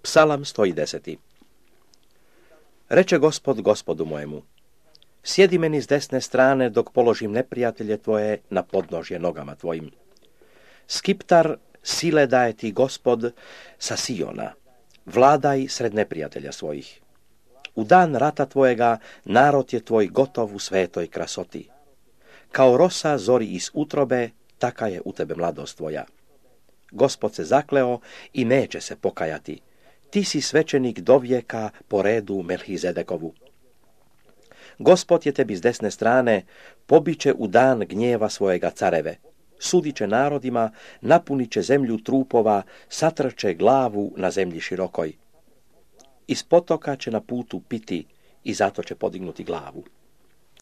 Psalam 110. Reče Gospod Gospodu mojemu: sjedi meni s desne strane dok položim neprijatelje tvoje na podnožje nogama tvojim. Skiptar sile daje ti Gospod sa Siona, vladaj sred neprijatelja svojih. U dan rata tvojega narod je tvoj gotov u svetoj krasoti. Kao rosa zori iz utrobe, taka je u tebe mladost tvoja. Gospod se zakleo i neće se pokajati. Ti si svećenik do vijeka po redu Melhizedekovu. Gospod je tebi s desne strane, pobiće u dan gnjeva svojega careve. Sudit će narodima, napunit će zemlju trupova, satrče glavu na zemlji širokoj. Iz potoka će na putu piti i zato će podignuti glavu.